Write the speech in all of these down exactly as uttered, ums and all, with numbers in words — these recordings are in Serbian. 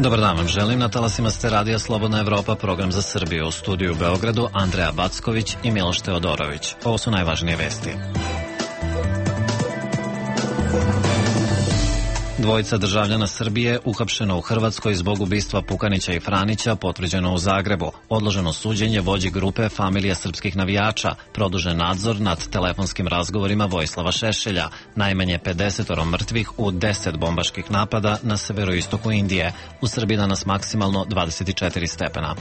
Dobar dan vam želim, na talasima ste Radija Slobodna Evropa, program za Srbiju. U studiju u Beogradu Andreja Backović i Miloš Teodorović. Ovo su najvažnije vesti. Dvojica državljana Srbije uhapšeno u Hrvatskoj zbog ubistva Pukanića i Franića, potvrđeno u Zagrebu. Odloženo suđenje vođi grupe Familija srpskih navijača. Produžen nadzor nad telefonskim razgovorima Vojislava Šešelja. Najmanje pedeset mrtvih u deset bombaških napada na severoistoku Indije. U Srbiji danas maksimalno dvadeset četiri stepena.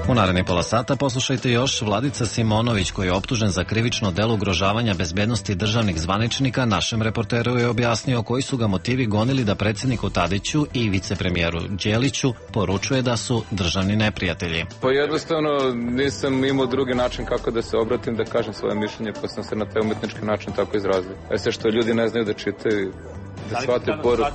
U narednih pola sata poslušajte još Vladica Simonović, koji je optužen za krivično delo ugrožavanja bezbednosti državnih zvaničnika. Našem reporteru je objasnio koji su ga motivi gonili da predsjedniku Tadiću i vicepremijeru Đeliću poručuje da su državni neprijatelji. Pa jednostavno nisam imao drugi način kako da se obratim, da kažem svoje mišljenje, pa sam se na taj umetnički način tako izrazio. E sve što ljudi ne znaju da čitaju, da shvate poruku.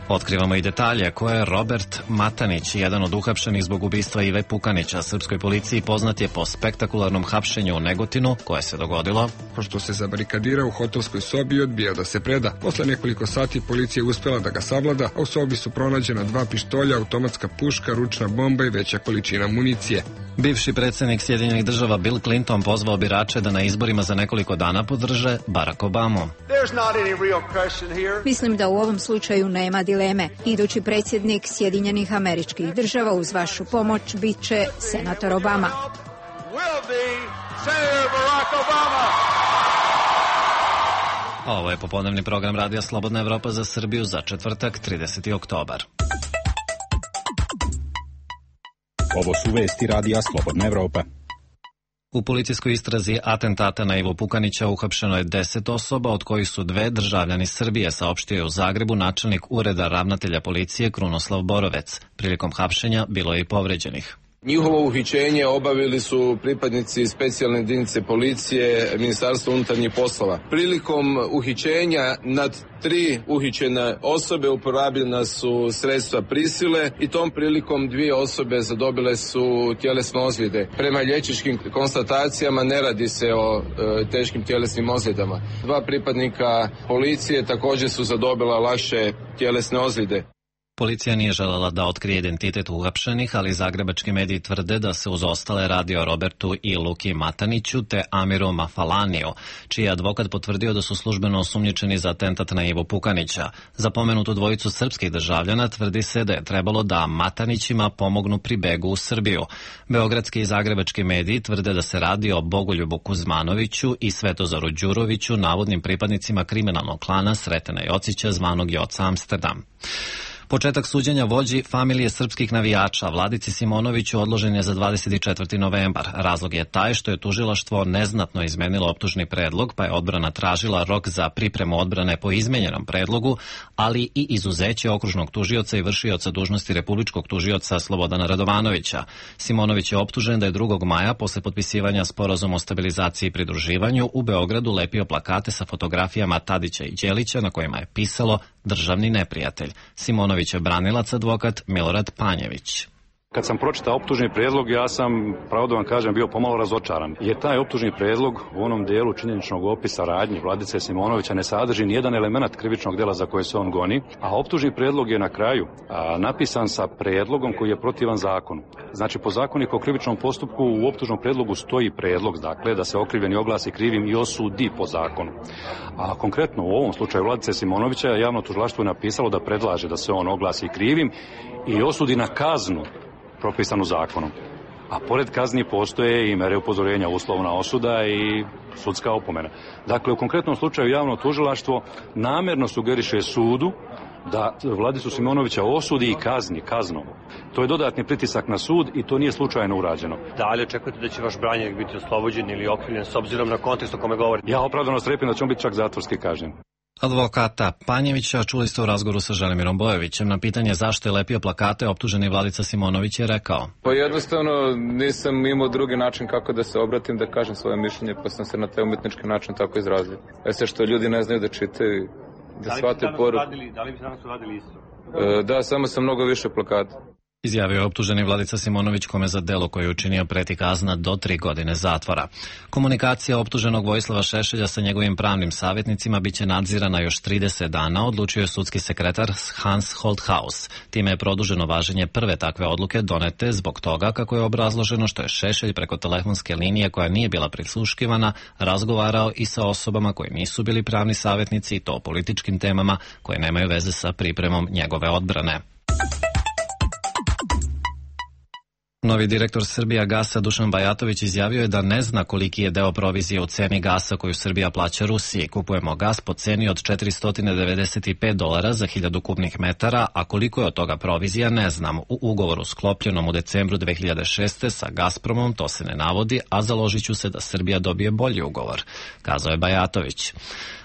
Otkrivamo i detalje koje je Robert Matanić, jedan od uhapšenih zbog ubistva Ive Pukanića. Srpskoj policiji poznat je po spektakularnom hapšenju u Negotinu, koje se dogodilo pošto se zabarikadirao u hotelskoj sobi i odbijao da se preda. Posle nekoliko sati policija je uspela da ga savlada, a u sobi su pronađena dva pištolja, automatska puška, ručna bomba i veća količina municije. Bivši predsjednik Sjedinjenih država Bill Clinton pozvao birače da na izborima za nekoliko dana podrže Barack Obamu. Mislim da u ovom slučaju nema dileme. Idući predsjednik Sjedinjenih Američkih Država uz vašu pomoć bit će senator Obama. Ovo je popodnevni program Radija Slobodna Evropa za Srbiju za četvrtak, trideseti oktobar. Ovo su vesti Radija Slobodna Evropa. U policijskoj istrazi atentata na Ivu Pukanića uhapšeno je deset osoba, od kojih su dve državljani Srbije, saopštio je u Zagrebu načelnik ureda ravnatelja policije Krunoslav Borovec. Prilikom hapšenja bilo je i povređenih. Njihovo uhićenje obavili su pripadnici specijalne jedinice policije Ministarstva unutarnjih poslova. Prilikom uhićenja nad tri uhićene osobe uporabljena su sredstva prisile i tom prilikom dvije osobe zadobile su tjelesne ozljede. Prema liječničkim konstatacijama ne radi se o e, teškim tjelesnim ozljedama. Dva pripadnika policije također su zadobila lakše tjelesne ozljede. Policija nije želela da otkrije identitet uhapšenih, ali zagrebački mediji tvrde da se uz ostale radi o Robertu i Luki Mataniću te Amiru Mafalaniju, čiji je advokat potvrdio da su službeno osumnjičeni za atentat na Ivu Pukanića. Za pomenutu dvojicu srpskih državljana tvrdi se da je trebalo da Matanićima pomognu pri begu u Srbiju. Beogradski i zagrebački mediji tvrde da se radi o Bogoljubu Kuzmanoviću i Svetozaru Đuroviću, navodnim pripadnicima kriminalnog klana Sretena Jocića zvanog Joca Amsterdam. Početak suđenja vođi Familije srpskih navijača Vladici Simonoviću odložen je za dvadeset četvrti novembar. Razlog je taj što je tužilaštvo neznatno izmenilo optužni predlog, pa je odbrana tražila rok za pripremu odbrane po izmenjenom predlogu, ali i izuzeće okružnog tužioca i vršioca dužnosti republičkog tužioca Slobodana Radovanovića. Simonović je optužen da je drugog maja, posle potpisivanja sporazuma o stabilizaciji i pridruživanju, u Beogradu lepio plakate sa fotografijama Tadića i Đelića na kojima je pisalo državni neprijatelj. Simonović je branilac advokat Milorad Panjević. Kad sam pročitao optužni prijedlog, ja sam, pravo da vam kažem, bio pomalo razočaran. Jer taj optužni prijedlog u onom dijelu činjeničnog opisa radnji Vladice Simonovića ne sadrži nijedan element krivičnog djela za koje se on goni, a optužni prijedlog je na kraju a, napisan sa prijedlogom koji je protivan zakonu. Znači, po zakoniku o krivičnom postupku u optužnom prijedlogu stoji prijedlog, dakle, da se okrivljeni oglasi krivim i osudi po zakonu. A konkretno u ovom slučaju Vladice Simonovića javno tužilaštvo je napisalo da predlaže da se on oglasi krivim i osudi na kaznu propisanu zakonom. A pored kazni postoje i mere upozorenja, uslovna osuda i sudska opomena. Dakle, u konkretnom slučaju javno tužilaštvo namjerno sugeriše sudu da Vladicu Simonovića osudi i kazni kaznom. To je dodatni pritisak na sud i to nije slučajno urađeno. Da li očekujete da će vaš branjenik biti oslobođen ili okrivljen s obzirom na kontekst o kome govorite? Ja opravdano strepim da će on biti čak zatvorski kažnjen. Advokata Panjevića čuli ste u razgovoru sa Želimirom Bojovićem. Na pitanje zašto je lepio plakate, optuženi Vladica Simonović je rekao: Pa jednostavno nisam imao drugi način kako da se obratim, da kažem svoje mišljenje, pa sam se na taj umetnički način tako izrazio. E sve što ljudi ne znaju da čitaju, da shvate poruku. Da li bi danas uradili isto? Da, samo sam mnogo više plakata. Izjavio je optuženi Vladica Simonović, kome za delo koje je učinio preti kazna do tri godine zatvora. Komunikacija optuženog Vojislava Šešelja sa njegovim pravnim savjetnicima biće nadzirana još trideset dana, odlučio je sudski sekretar Hans Holthaus. Time je produženo važenje prve takve odluke donete zbog toga kako je obrazloženo što je Šešelj preko telefonske linije koja nije bila prisluškivana razgovarao i sa osobama koji nisu bili pravni savjetnici i to o političkim temama koje nemaju veze sa pripremom njegove odbrane. Novi direktor Srbijagasa Dušan Bajatović izjavio je da ne zna koliki je deo provizije u ceni gasa koju Srbija plaća Rusiji. Kupujemo gas po ceni od četiristo devedeset pet dolara za hiljadu kubnih metara, a koliko je od toga provizija ne znam. U ugovoru sklopljenom u decembru dve hiljade šeste. sa Gazpromom to se ne navodi, a založit ću se da Srbija dobije bolji ugovor, kazao je Bajatović.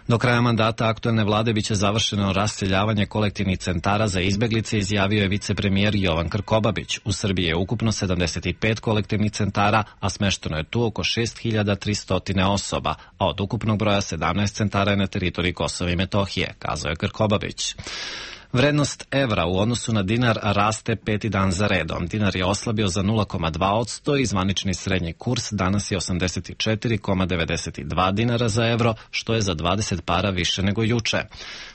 Do kraja mandata aktuelne vlade biće završeno raseljavanje kolektivnih centara za izbeglice, izjavio je vicepremijer Jovan Krkobabić. U Srbiji je ukupno sedamdeset pet kolektivnih centara, a smešteno je tu oko šest hiljada tristo osoba, a od ukupnog broja sedamnaest centara je na teritoriji Kosova i Metohije, kazao je Krkobabić. Vrednost evra u odnosu na dinar raste peti dan za redom. Dinar je oslabio za nula zarez dva posto i zvanični srednji kurs danas je osamdeset četiri zarez devedeset dva dinara za evro, što je za dvadeset para više nego juče.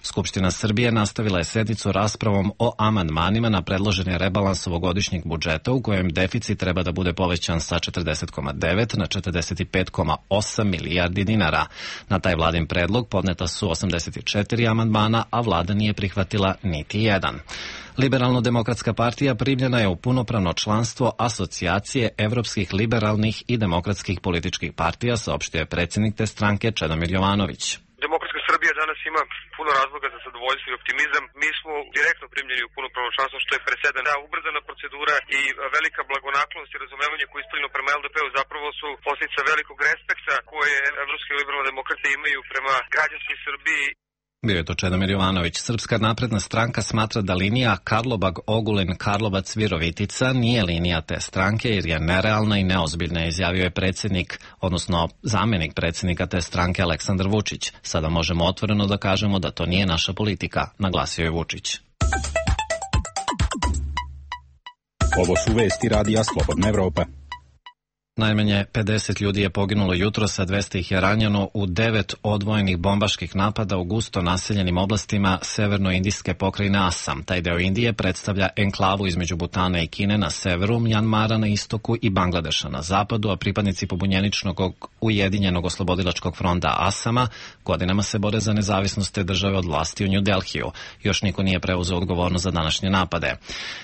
Skupština Srbije nastavila je sednicu raspravom o amandmanima na predloženi rebalans ovogodišnjeg budžeta u kojem deficit treba da bude povećan sa četrdeset zarez devet na četrdeset pet zarez osam milijardi dinara. Na taj vladin predlog podneta su osamdeset četiri amandmana, a vlada nije prihvatila niti jedan. Liberalno-demokratska partija primljena je u punopravno članstvo Asocijacije evropskih liberalnih i demokratskih političkih partija, saopštio je predsjednik te stranke Čedomir Jovanović. Demokratska Srbija danas ima puno razloga za zadovoljstvo i optimizam. Mi smo direktno primljeni u punopravno članstvo, što je presedan. Da, ubrzana procedura i velika blagonaklonost i razumevanje koje ispoljeno prema el de pe-u zapravo su posljedica velikog respekta koje evropske liberalne demokrate imaju prema građanskoj Srbiji. Bio je to Čedomir Jovanović. Srpska napredna stranka smatra da linija Karlobag-Ogulin-Karlovac-Virovitica nije linija te stranke jer je nerealna i neozbiljna, izjavio je predsjednik, odnosno zamenik predsjednika te stranke Aleksandar Vučić. Sada možemo otvoreno da kažemo da to nije naša politika, naglasio je Vučić. Ovo su vesti radija Slobodna Evropa. Najmanje pedeset ljudi je poginulo jutros, a dvesta ih je ranjeno u devet odvojenih bombaških napada u gusto naseljenim oblastima severno-indijske pokrajine Asam. Taj deo Indije predstavlja enklavu između Butana i Kine na severu, Mjanmara na istoku i Bangladeša na zapadu, a pripadnici pobunjeničnog Ujedinjenog oslobodilačkog fronta Asama godinama se bore za nezavisnost te države od vlasti u New Delhiju. Još niko nije preuzeo odgovornost za današnje napade.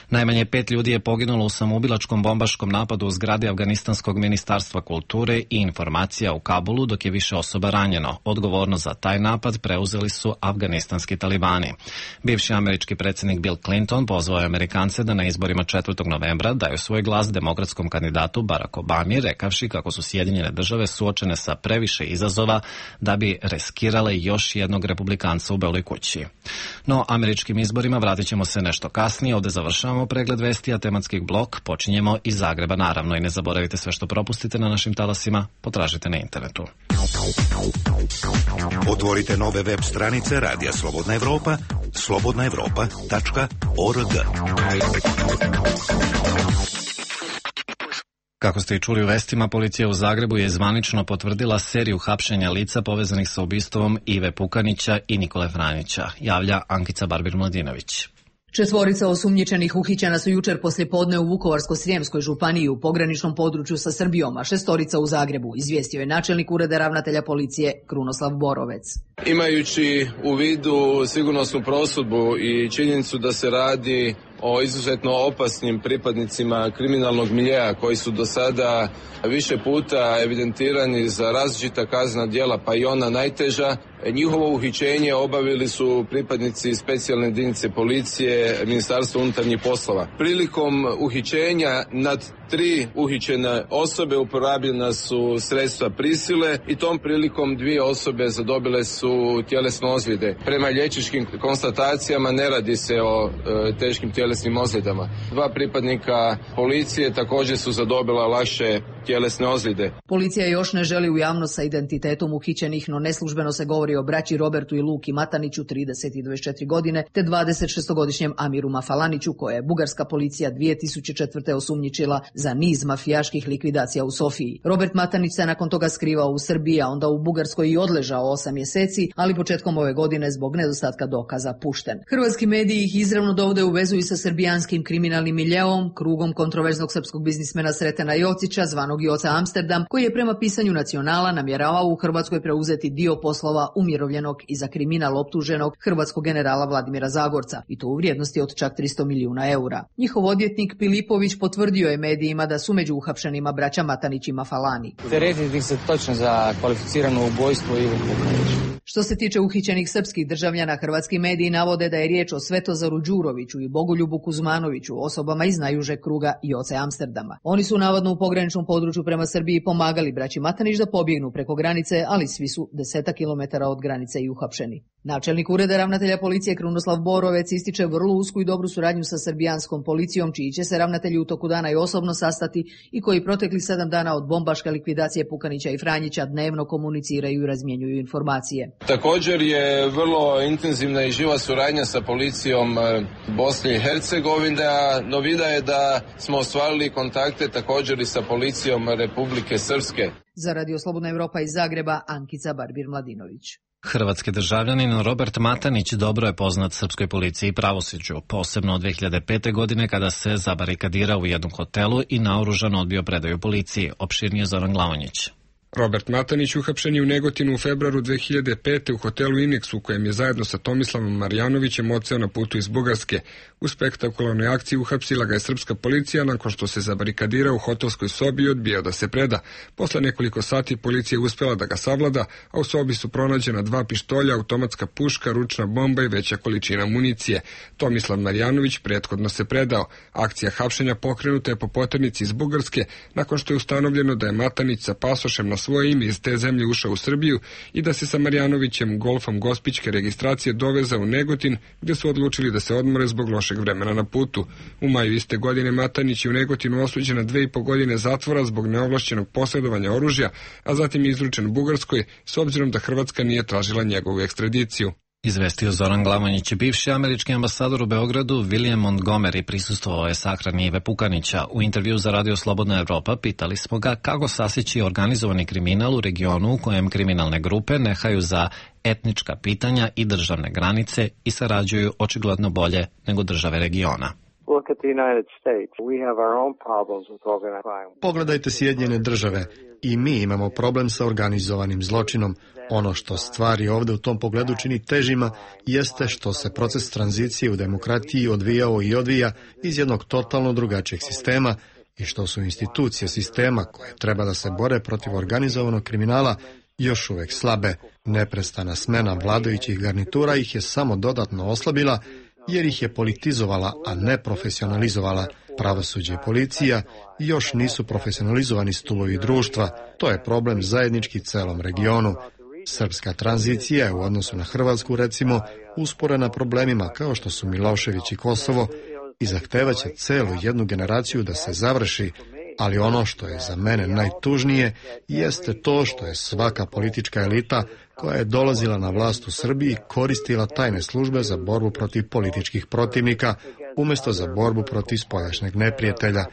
Najmanje pet ljudi je poginulo u samoubilačkom bombaškom napadu u zgradi Afganistanskog Ministarstva kulture i informacija u Kabulu, dok je više osoba ranjeno. Odgovornost za taj napad preuzeli su afganistanski talibani. Bivši američki predsjednik Bill Clinton pozvao je Amerikance da na izborima četvrtog novembra daju svoj glas demokratskom kandidatu Barack Obami, rekavši kako su Sjedinjene države suočene sa previše izazova da bi riskirale još jednog republikanca u Beloj kući. No, američkim izborima vratit ćemo se nešto kasnije. Ovde završavamo pregled vesti, a tematski blok počinjemo iz Zagreba, naravno, i ne zaboravite sve što propustite na našim talasima, potražite na internetu. Otvorite nove web stranice Radija Slobodna Evropa, slobodna evropa tačka org. Kako ste i čuli u vestima, policija u Zagrebu je zvanično potvrdila seriju hapšenja lica povezanih sa ubistvom Ive Pukanića i Nikole Franjića, javlja Ankica Barbir-Mladinović. Četvorica osumnjičenih uhićena su jučer poslijepodne u Vukovarsko-srijemskoj županiji u pograničnom području sa Srbijom, a šestorica u Zagrebu, izvijestio je načelnik ureda ravnatelja policije Krunoslav Borovec. Imajući u vidu sigurnosnu prosudbu i činjenicu da se radi o izuzetno opasnim pripadnicima kriminalnog miljea koji su do sada više puta evidentirani za različita kaznena djela, pa i ona najteža, njihovo uhićenje obavili su pripadnici specijalne jedinice policije Ministarstva unutarnjih poslova. Prilikom uhićenja nad tri uhićene osobe uporabljena su sredstva prisile i tom prilikom dvije osobe zadobile su tjelesne ozljede. Prema liječničkim konstatacijama ne radi se o e, teškim tjelesnim ozljedama. Dva pripadnika policije također su zadobila lakše tjelesne ozljede. Policija još ne želi u javnost sa identitetom uhićenih, no neslužbeno se govori o braći Robertu i Luki Mataniću, trideset i dvadeset četiri godine, te dvadesetšestogodišnjem Amiru Mafalaniću, koje je bugarska policija dvije tisuće četvrte osumnjičila za niz mafijaških likvidacija u Sofiji. Robert Matanić se nakon toga skrivao u Srbiji, a onda u Bugarskoj i odležao osam mjeseci, ali početkom ove godine zbog nedostatka dokaza pušten. Hrvatski mediji ih izravno dovode u vezu i sa srbijanskim kriminalnim miljeom, krugom kontroverznog srpskog biznismena Sretena Jocića, zvanog Joca Amsterdam, koji je prema pisanju Nacionala namjeravao u Hrvatskoj preuzeti dio poslova umirovljenog i za kriminal optuženog hrvatskog generala Vladimira Zagorca, i to u vrijednosti od čak tristo milijuna eura. Njihov odvjetnik Pilipović potvrdio je medijima da su među uhapšenima braća Matanić i Mafalani. Teretiti se točno za kvalificirano ubojstvo Ivo Vukanić. Što se tiče uhićenih srpskih državljana, hrvatski mediji navode da je riječ o Svetozaru Đuroviću i Bogoljubu Kuzmanoviću, osobama iz najužeg kruga Joce Amsterdama. Oni su navodno u pograničnom području prema Srbiji pomagali braći Matanić da pobjegnu preko granice, ali svi su desetak kilometara od granice i uhapšeni. Načelnik ureda ravnatelja policije Krunoslav Borovec ističe vrlo usku i dobru suradnju sa srbijanskom policijom, čiji će se ravnatelji u toku dana i osobno sastati i koji protekli sedam dana od bombaške likvidacije Pukanića i Franjića dnevno komuniciraju i razmjenjuju informacije. Također je vrlo intenzivna i živa suradnja sa policijom Bosne i Hercegovine, a novina je da smo ostvarili kontakte također i sa policijom Republike Srpske. Za Radio Slobodna Evropa iz Zagreba, Ankica Barbir-Mladinović. Hrvatski državljanin Robert Matanić dobro je poznat srpskoj policiji i pravosuđu, posebno od dve hiljade pete. godine kada se zabarikadirao u jednom hotelu i naoružan odbio predaju policiji. Opširnije Zoran Glavonjić. Robert Matanić uhapšen je u Negotinu u februaru dve hiljade pete. u hotelu Inex, u kojem je zajedno sa Tomislavom Marjanovićem odseo na putu iz Bugarske. U spektakularnoj akciji uhapsila ga je srpska policija nakon što se zabarikadirao u hotelskoj sobi i odbijao da se preda. Posle nekoliko sati policija je uspela da ga savlada, a u sobi su pronađena dva pištolja, automatska puška, ručna bomba i veća količina municije. Tomislav Marjanović prethodno se predao. Akcija hapšenja pokrenuta je po poternici iz Bugarske nakon što je ustanovljeno da je Matanić sa pasošem na svoje ime iz te zemlje ušao u Srbiju i da se sa Marjanovićem golfom gospićke registracije dovezao u Negotin, gde su odlučili da se odmore zbog lošeg vremena na putu. U maju iste godine Matanić je u Negotinu osuđen na dve i po godine zatvora zbog neovlašćenog posjedovanja oružja, a zatim je izručen Bugarskoj, s obzirom da Hrvatska nije tražila njegovu ekstradiciju. Izvestio Zoran Glavonjić. Bivši američki ambasador u Beogradu William Montgomery prisustvovao je sahrani Ive Pukanića. U intervju za Radio Slobodna Evropa pitali smo ga kako sasići organizovani kriminal u regionu u kojem kriminalne grupe nehaju za etnička pitanja i državne granice i sarađuju očigledno bolje nego države regiona. Pogledajte Sjedinjene države. I mi imamo problem sa organizovanim zločinom. Ono što stvari ovdje u tom pogledu čini težima jeste što se proces tranzicije u demokratiji odvijao i odvija iz jednog totalno drugačijeg sistema i što su institucije sistema koje treba da se bore protiv organizovanog kriminala još uvek slabe. Neprestana smena vladajućih garnitura ih je samo dodatno oslabila jer ih je politizovala, a ne profesionalizovala. Pravosuđe i policija još nisu profesionalizovani stubovi društva. To je problem zajednički celom regionu. Srpska tranzicija je u odnosu na Hrvatsku, recimo, usporena problemima kao što su Milošević i Kosovo i zahtevaće celu jednu generaciju da se završi, ali ono što je za mene najtužnije jeste to što je svaka politička elita koja je dolazila na vlast u Srbiji koristila tajne službe za borbu protiv političkih protivnika umjesto za borbu protiv spoljašnjeg neprijatelja.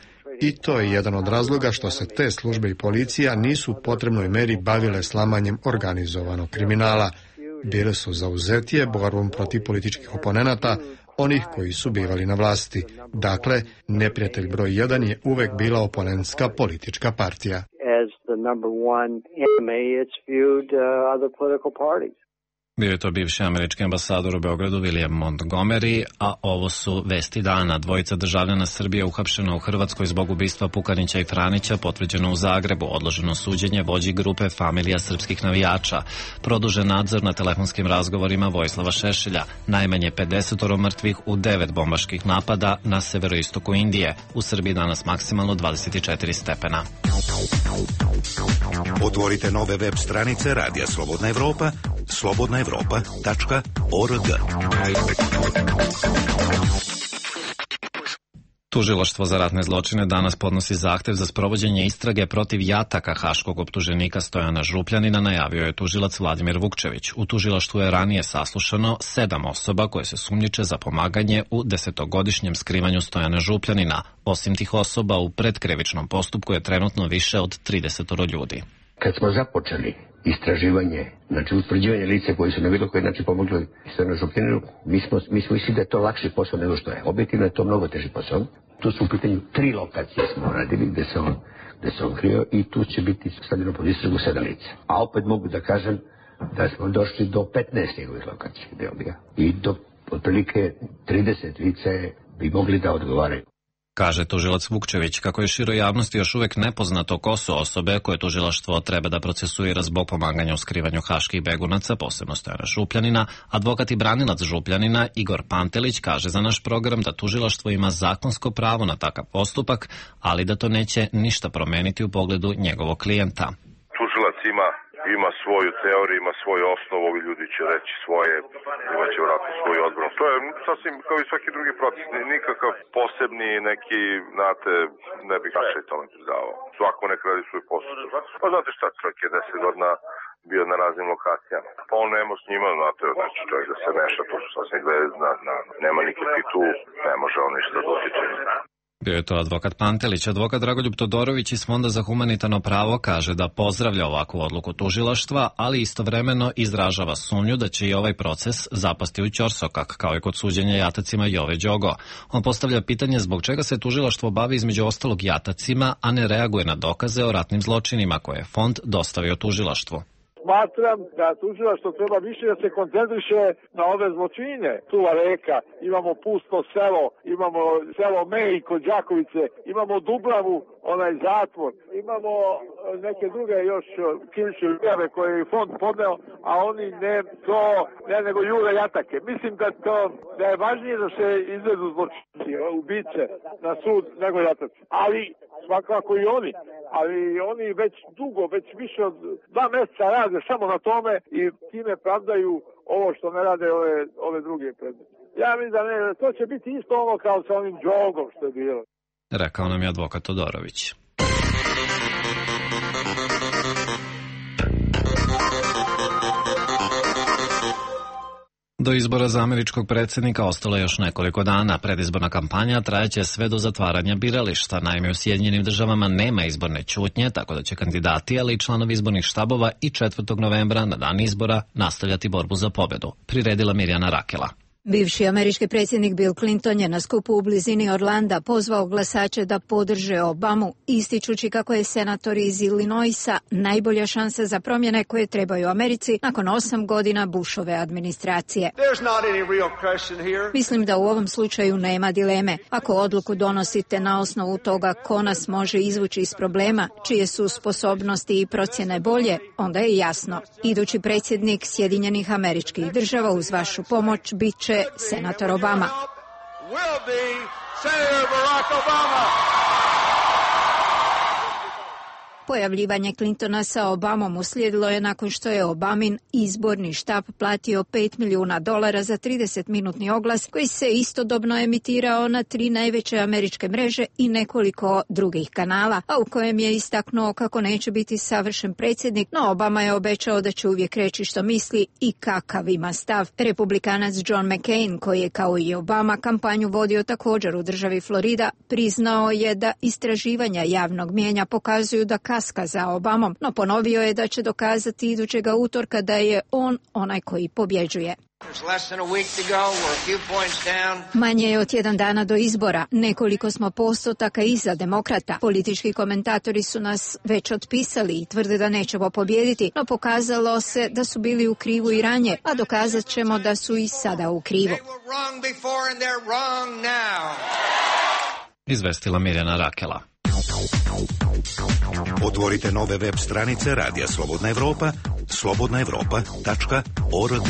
I to je jedan od razloga što se te službe i policija nisu u potrebnoj meri bavile slamanjem organizovanog kriminala. Bile su zauzetije borbom protiv političkih oponenata, onih koji su bivali na vlasti. Dakle, neprijatelj broj jedan je uvek bila oponentska politička partija. Bio je to bivši američki ambasador u Beogradu William Montgomery, a ovo su vesti dana. Dvojica državljana Srbije uhapšena u Hrvatskoj zbog ubistva Pukanića i Franića, potvrđeno u Zagrebu, odloženo suđenje vođi grupe Familija srpskih navijača, produžen nadzor na telefonskim razgovorima Vojislava Šešelja, najmanje pedeset mrtvih u devet bombaških napada na severoistoku Indije, u Srbiji danas maksimalno dvadeset četiri stepena. Otvorite nove web stranice Radija Slobodna Evropa, slobodna evropa tačka org. Tužilaštvo za ratne zločine danas podnosi zahtev za sprovođenje istrage protiv jataka haškog optuženika Stojana Župljanina, najavio je tužilac Vladimir Vukčević. U tužilaštvu je ranije saslušano sedam osoba koje se sumnjiče za pomaganje u desetogodišnjem skrivanju Stojana Župljanina. Osim tih osoba, u predkrivičnom postupku je trenutno više od trideset ljudi. Kad smo započeli istraživanje, znači utvrđivanje lice koji su na bilo koji način pomogli Stojanu Župljaninu, mi smo, mi smo mislili da je to lakši posao nego što je. Objektivno je to mnogo teži posao. Tu su u pitanju tri lokacije smo radili gde se on, gde se on krio i tu će biti stavljeno pod istragu sedam lica. A opet mogu da kažem da smo došli do petnaest njegovih lokacija gde on bio. I do otprilike trideset lica bi mogli da odgovaraju. Kaže tužilac Vukčević kako je široj javnosti još uvek nepoznato ko su osobe koje tužilaštvo treba da procesuira zbog pomaganja u skrivanju haških begunaca, posebno Stojana Župljanina. Advokat i branilac Župljanina Igor Pantelić kaže za naš program da tužilaštvo ima zakonsko pravo na takav postupak, ali da to neće ništa promeniti u pogledu njegovog klijenta. Tužilac ima ima svoju teoriju, ima svoju osnovu, ovi ljudi će reći svoje, imaće vratno svoju odbranu. To je sasvim kao i svaki drugi proces, nikakav posebni neki, znate, ne bih više tome pridavao. Svako nek radi svoj posao. Pa znate šta, čovjek je deset godina bio na raznim lokacijama. Pa on nema s njima, znate, znači čovjek da se meša, to su sasvim glede, na, na, nema nikakvi tu, ne može on ništa da utiče. Bio je to advokat Pantelić. Advokat Dragoljub Todorović iz Fonda za humanitarno pravo kaže da pozdravlja ovakvu odluku tužilaštva, ali istovremeno izražava sumnju da će i ovaj proces zapasti u ćorsokak, kao i kod suđenja jatacima Jove Đogo. On postavlja pitanje zbog čega se tužilaštvo bavi između ostalog jatacima, a ne reaguje na dokaze o ratnim zločinima koje je fond dostavio tužilaštvu. Smatram da tužilaštvo treba više da se koncentriše na ove zločine. Tuva reka, imamo pusto selo, imamo selo Mej kod Đakovice, imamo Dubravu, onaj zatvor, imamo neke druge još krivične prijave koje je fond podneo, a oni ne to, ne nego jure jatake. Mislim da to da je važnije da se izvedu zločinci, ubice na sud nego jataci. Ali svakako i oni, ali oni već dugo, već više od dva mjeseca rade samo na tome i time pravdaju ovo što ne rade ove, ove druge predmete. Ja mislim da ne, to će biti isto ono kao sa onim Đogom što je bilo. Rekao nam je advokat Todorović. Do izbora za američkog predsjednika ostalo je još nekoliko dana. Predizborna kampanja trajeće sve do zatvaranja birališta. Naime, u Sjedinjenim državama nema izborne ćutnje, tako da će kandidati, ali i članovi izbornih štabova i četvrtog novembra na dan izbora nastavljati borbu za pobedu. Priredila Mirjana Rakela. Bivši američki predsjednik Bill Clinton je na skupu u blizini Orlanda pozvao glasače da podrže Obamu, ističući kako je senator iz Illinoisa najbolja šansa za promjene koje trebaju Americi nakon osam godina Bushove administracije. Mislim da u ovom slučaju nema dileme. Ako odluku donosite na osnovu toga ko nas može izvući iz problema, čije su sposobnosti i procjene bolje, onda je jasno. Idući predsjednik Sjedinjenih Američkih Država uz vašu pomoć bit će senator Obama. Pojavljivanje Clintona sa Obamom uslijedilo je nakon što je Obamin izborni štab platio pet milijuna dolara za tridesetminutni oglas koji se istodobno emitirao na tri najveće američke mreže i nekoliko drugih kanala, a u kojem je istaknuo kako neće biti savršen predsjednik, no Obama je obećao da će uvijek reći što misli i kakav ima stav. Republikanac John McCain, koji je kao i Obama kampanju vodio također u državi Florida, priznao je da istraživanja javnog mijenja pokazuju da kaska za Obamom, no ponovio je da će dokazati idućega utorka da je on onaj koji pobjeđuje. Manje je od tjedan dana do izbora, nekoliko smo postotaka iza demokrata. Politički komentatori su nas već otpisali i tvrde da nećemo pobijediti, no pokazalo se da su bili u krivu i ranije, a dokazat ćemo da su i sada u krivu. Izvestila Mirjana Rakela. Otvorite nove web stranice Radija Slobodna Evropa, slobodna evropa tačka org.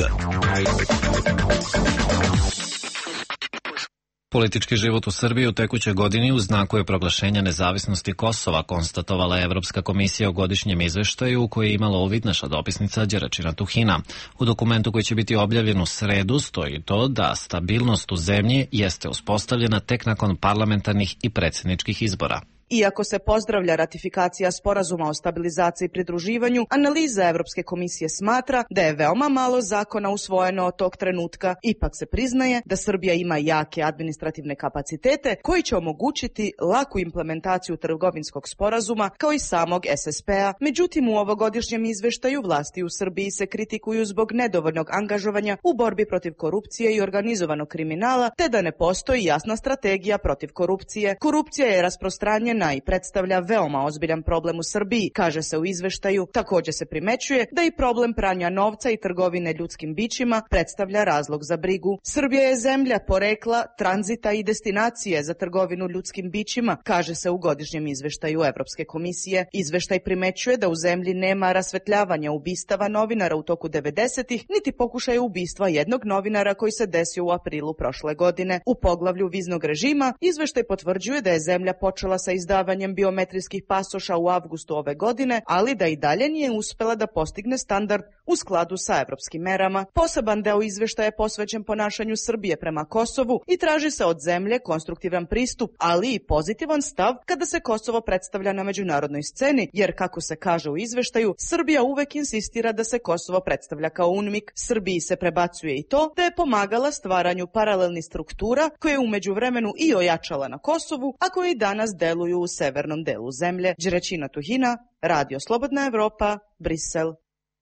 Politički život u Srbiji u tekućoj godini u znaku je proglašenja nezavisnosti Kosova, konstatovala je Evropska komisija o godišnjem izveštaju u koji je imala uvid naša dopisnica Đeračina Tuhina. U dokumentu koji će biti objavljen u sredu stoji to da stabilnost u zemlji jeste uspostavljena tek nakon parlamentarnih i predsjedničkih izbora. Iako se pozdravlja ratifikacija sporazuma o stabilizaciji i pridruživanju, analiza Evropske komisije smatra da je veoma malo zakona usvojeno od tog trenutka. Ipak se priznaje da Srbija ima jake administrativne kapacitete koji će omogućiti laku implementaciju trgovinskog sporazuma kao i samog es es pe-a. Međutim, u ovogodišnjem izveštaju vlasti u Srbiji se kritikuju zbog nedovoljnog angažovanja u borbi protiv korupcije i organizovanog kriminala, te da ne postoji jasna strategija protiv korupcije. Korupcija je rasprostranjena i predstavlja veoma ozbiljan problem u Srbiji, kaže se u izveštaju. Također se primećuje da i problem pranja novca i trgovine ljudskim bićima predstavlja razlog za brigu. Srbija je zemlja porekla, tranzita i destinacije za trgovinu ljudskim bićima, kaže se u godišnjem izveštaju Evropske komisije. Izveštaj primećuje da u zemlji nema rasvetljavanja ubistava novinara u toku devedesetih, niti pokušaja ubistva jednog novinara koji se desio u aprilu prošle godine. U poglavlju viznog režima izveštaj potvrđuje da je zemlja počela sa izdavanjem izdavanjem biometrijskih pasoša u avgustu ove godine, ali da i dalje nije uspela da postigne standard u skladu sa evropskim merama. Poseban deo izveštaja je posvećen ponašanju Srbije prema Kosovu i traži se od zemlje konstruktivan pristup, ali i pozitivan stav kada se Kosovo predstavlja na međunarodnoj sceni, jer kako se kaže u izveštaju, Srbija uvek insistira da se Kosovo predstavlja kao UNMIK. Srbiji se prebacuje i to da je pomagala stvaranju paralelnih struktura koje je u međuvremenu i ojačala na Kosovu, a koje i danas deluju u severnom delu zemlje. Đeračina Tuhina, Radio Slobodna Evropa, Brisel.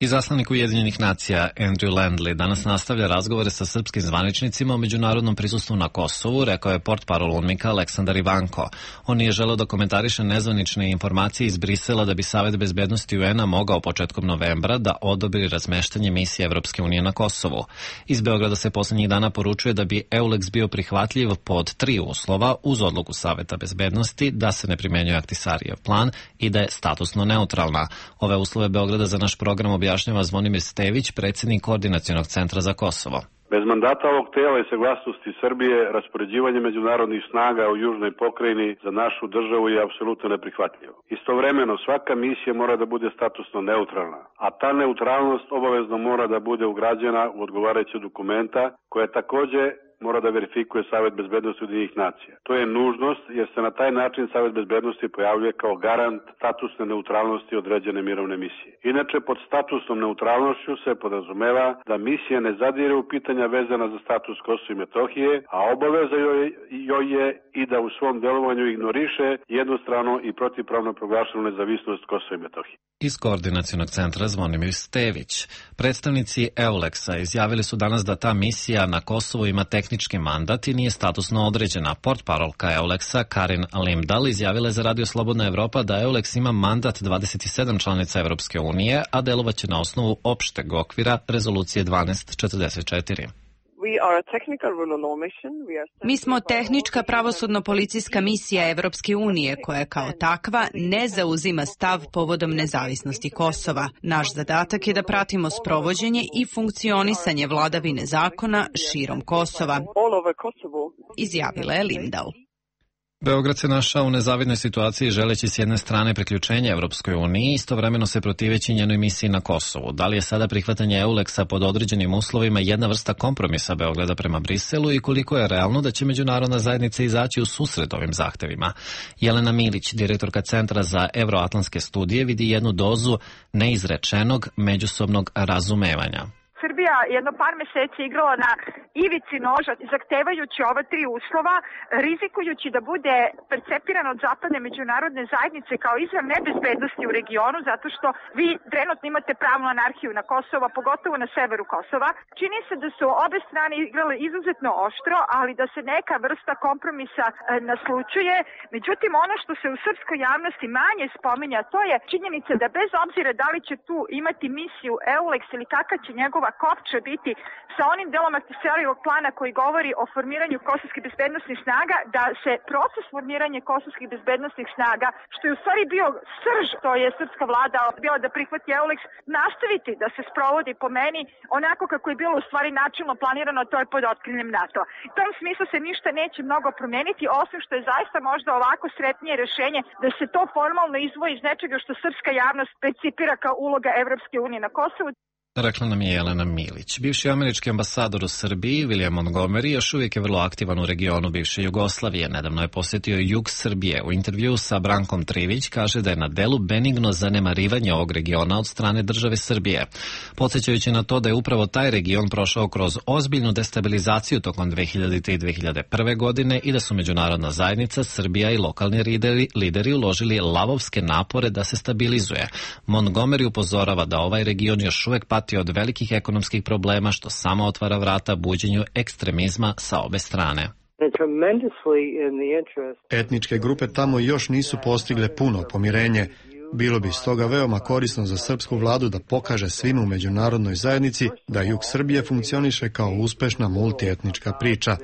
Izaslanik Ujedinjenih nacija Andrew Landley danas nastavlja razgovore sa srpskim zvaničnicima o međunarodnom prisustvu na Kosovu, rekao je portparol UNMIK-a Aleksandar Ivanko. On nije želeo da komentariše nezvanične informacije iz Brisela da bi Savet bezbednosti U N-a mogao početkom novembra da odobri razmeštanje misije Evropske unije na Kosovu. Iz Beograda se poslednjih dana poručuje da bi EULEX bio prihvatljiv pod tri uslova uz odluku Saveta bezbednosti da se ne primenjuje Ahtisarijev plan i da je statusno neutralna. Ove uslove Beograda za naš program objašnjava Zvonimir Stević, predsjednik Koordinacionog centra za Kosovo. Bez mandata ovog tela i saglasnosti Srbije, raspoređivanje međunarodnih snaga u južnoj pokrajini za našu državu je apsolutno neprihvatljivo. Istovremeno, svaka misija mora da bude statusno neutralna, a ta neutralnost obavezno mora da bude ugrađena u odgovarajuće dokumenta koje takođe mora da verifikuje Savet bezbednosti Ujedinjenih nacija. To je nužnost jer se na taj način Savet bezbednosti pojavljuje kao garant statusne neutralnosti određene mirovne misije. Inače, pod statusnom neutralnošću se podrazumeva da misija ne zadire u pitanja vezana za status Kosova i Metohije, a obaveza joj, joj je i da u svom delovanju ignoriše jednostrano i protivpravno proglašenu nezavisnost Kosova i Metohije. Iz Koordinacionog centra Zvonimir Stević. Predstavnici EULEX-a izjavili su danas da ta misija na Kosovu ima tehnički mandat i nije statusno određena. Portparolka EULEX-a Karin Limdal izjavila je za Radio Slobodna Evropa da EULEX ima mandat dvadeset sedam članica Evropske unije, a delovaće na osnovu opšteg okvira Rezolucije dvanaest četrdeset četiri. Mi smo tehnička pravosudno-policijska misija Evropske unije koja kao takva ne zauzima stav povodom nezavisnosti Kosova. Naš zadatak je da pratimo sprovođenje i funkcionisanje vladavine zakona širom Kosova, izjavila je Limdal. Beograd se našao u nezavidnoj situaciji želeći s jedne strane priključenje Evropskoj uniji, istovremeno se protiveći njenoj misiji na Kosovu. Da li je sada prihvatanje EULEX-a pod određenim uslovima jedna vrsta kompromisa Beograda prema Briselu i koliko je realno da će međunarodna zajednica izaći u susret ovim zahtevima? Jelena Milić, direktorka Centra za evroatlantske studije, vidi jednu dozu neizrečenog međusobnog razumevanja. Srbija jedno par meseci igrala na ivici noža, zahtevajući ova tri uslova, rizikujući da bude percepirana od zapadne međunarodne zajednice kao izvor nebezbednosti u regionu, zato što vi trenutno imate pravnu anarhiju na Kosovu, pogotovo na severu Kosova. Čini se da su obe strane igrale izuzetno oštro, ali da se neka vrsta kompromisa e, naslučuje. Međutim, ono što se u srpskoj javnosti manje spominja, to je činjenica da bez obzira da li će tu imati misiju EULEX ili kakav će njegova kopča biti sa onim delom Ahtisarijev Šarijevog plana koji govori o formiranju kosovskih bezbednosnih snaga, da se proces formiranja kosovskih bezbednosnih snaga, što je u stvari bio srž, to je srpska vlada bila da prihvati EULEX, nastaviti da se sprovodi po meni onako kako je bilo u stvari načelno planirano, to je pod otkriljem NATO. U tom smislu se ništa neće mnogo promeniti, osim što je zaista možda ovako sretnije rešenje da se to formalno izdvoji iz nečega što srpska javnost percipira kao uloga Evropske unije na Kosovu. Rekla nam je Jelena Milić. Bivši američki ambasador u Srbiji, William Montgomery, još uvijek je vrlo aktivan u regionu bivše Jugoslavije. Nedavno je posjetio jug Srbije. U intervju sa Brankom Trivić kaže da je na delu benigno zanemarivanje ovog regiona od strane države Srbije. Podsjećajući na to da je upravo taj region prošao kroz ozbiljnu destabilizaciju tokom dve hiljadite i dve hiljade prve. godine i da su međunarodna zajednica, Srbija i lokalni lideri, lideri uložili lavovske napore da se stabilizuje. Montgomery upozorava da ovaj region još uvijek pati od velikih ekonomskih problema, što samo otvara vrata buđenju ekstremizma sa obe strane. Etničke grupe tamo još nisu postigle puno pomirenje. Bilo bi stoga veoma korisno za srpsku vladu da pokaže svima u međunarodnoj zajednici da jug Srbije funkcioniše kao uspešna multietnička priča.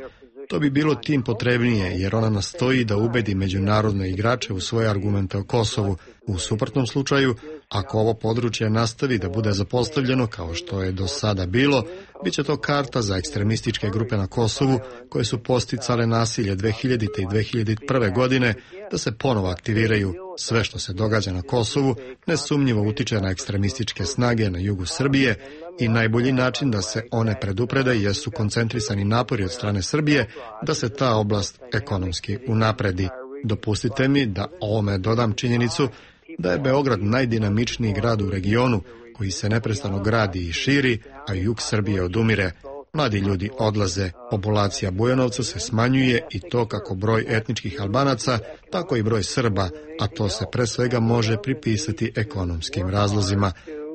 To bi bilo tim potrebnije, jer ona nastoji da ubedi međunarodne igrače u svoje argumente o Kosovu. U suprotnom slučaju, ako ovo područje nastavi da bude zapostavljeno kao što je do sada bilo, bit će to karta za ekstremističke grupe na Kosovu koje su posticale nasilje dve hiljadite i dve hiljade prve. godine da se ponovo aktiviraju. Sve što se događa na Kosovu nesumnjivo utiče na ekstremističke snage na jugu Srbije i najbolji način da se one preduprede jesu koncentrisani napori od strane Srbije da se ta oblast ekonomski unapredi. Dopustite mi da ovome dodam činjenicu da je Beograd najdinamičniji grad u regionu koji se neprestano gradi i širi, a jug Srbije odumire. Mladi ljudi odlaze, populacija Bujanovca se smanjuje i to kako broj etničkih Albanaca, tako i broj Srba, a to se pre svega može pripisati ekonomskim razlozima.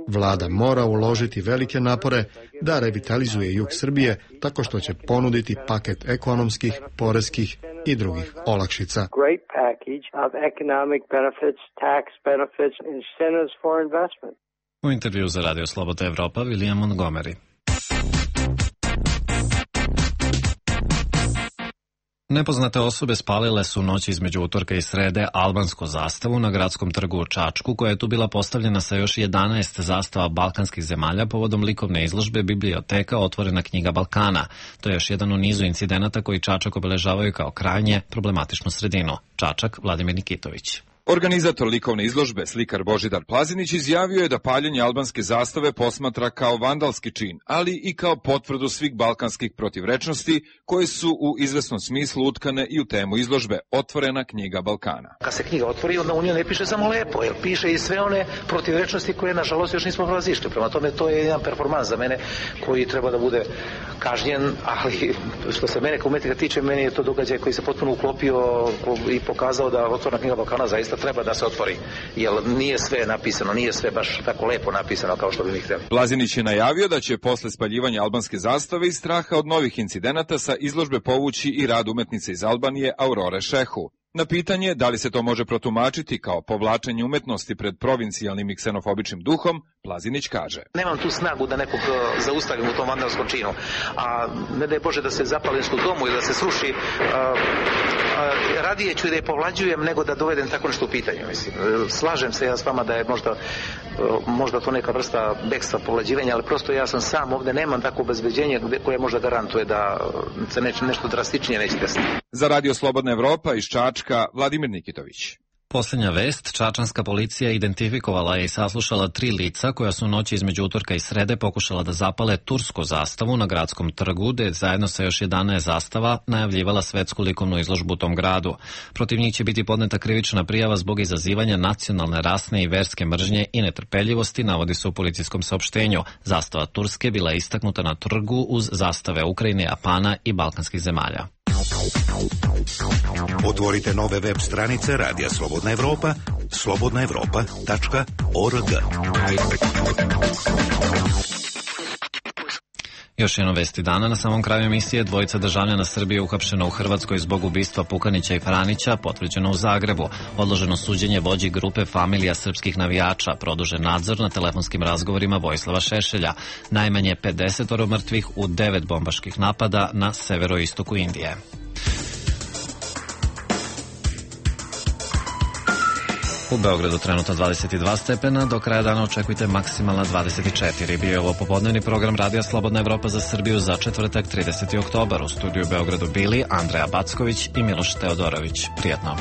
Vlada mora uložiti velike napore da revitalizuje jug Srbije tako što će ponuditi paket ekonomskih, poreskih i drugih olakšica. U intervju za Radio Slobodna Evropa, William Montgomery. Nepoznate osobe spalile su noć između utorka i srede albansku zastavu na gradskom trgu u Čačku, koja je tu bila postavljena sa još jedanaest zastava balkanskih zemalja povodom likovne izložbe Biblioteka Otvorena knjiga Balkana. To je još jedan u nizu incidenata koji Čačak obeležavaju kao krajnje problematičnu sredinu. Čačak, Vladimir Nikitović. Organizator likovne izložbe, slikar Božidar Plazinić, izjavio je da paljenje albanske zastave posmatra kao vandalski čin, ali i kao potvrdu svih balkanskih protivrečnosti koje su u izvesnom smislu utkane i u temu izložbe Otvorena knjiga Balkana. Kad se knjiga otvori, onda u njoj ne piše samo lepo, jer piše i sve one protivrečnosti koje, nažalost, još nismo prevazišli. Prema tome, to je jedan performans za mene koji treba da bude kažnjen, ali što se mene kao umetnika tiče, meni je to događaj koji se potpuno uklopio i pokazao da Otvorena knjiga Balkana zaista treba da se otvori, jer nije sve napisano, nije sve baš tako lepo napisano kao što bi mi htjeli. Plazinić je najavio da će posle spaljivanja albanske zastave i straha od novih incidenata sa izložbe povući i rad umetnice iz Albanije Aurore Šehu. Na pitanje da li se to može protumačiti kao povlačenje umetnosti pred provincijalnim i ksenofobičnim duhom, Plazinić kaže: Nemam tu snagu da nekog zaustavim u tom vandalskom činu, a ne daj Bože da se zapali nešto u domu ili da se sruši, a, a, radije ću da je povlađujem nego da dovedem tako nešto u pitanju. Mislim. Slažem se ja s vama da je možda, možda to neka vrsta bekstva povlađivanja, ali prosto ja sam sam ovde, nemam tako obezbeđenje koje možda garantuje da se neće, nešto drastičnije neće desiti. Za Radio Slobodna Evropa iz Čačka, Vladimir Nikitović. Posljednja vest, čačanska policija identifikovala je i saslušala tri lica koja su noći između utorka i srede pokušala da zapale tursku zastavu na gradskom trgu, gde je zajedno sa još jedanaest zastava najavljivala svetsku likovnu izložbu u tom gradu. Protiv njih će biti podneta krivična prijava zbog izazivanja nacionalne, rasne i verske mržnje i netrpeljivosti, navodi se u policijskom saopštenju. Zastava Turske bila je istaknuta na trgu uz zastave Ukrajine, Japana i balkanskih zemalja. Otvorite nove web stranice Radija Slobodna Evropa, slobodna evropa tačka org. Još jedno vesti dana. Na samom kraju emisije dvojica državljana Srbije uhapšena u Hrvatskoj zbog ubistva Pukanića i Franića, potvrđeno u Zagrebu. Odloženo suđenje vođi grupe familija srpskih navijača, produžen nadzor na telefonskim razgovorima Vojislava Šešelja. Najmanje pedeset mrtvih u devet bombaških napada na severoistoku Indije. U Beogradu trenutno dvadeset dva stepena, do kraja dana očekujte maksimalna dvadeset četiri. Bio je ovo popodnevni program Radija Slobodna Evropa za Srbiju za četvrtak trideseti oktobar. U studiju u Beogradu bili Andreja Backović i Miloš Teodorović. Prijetno.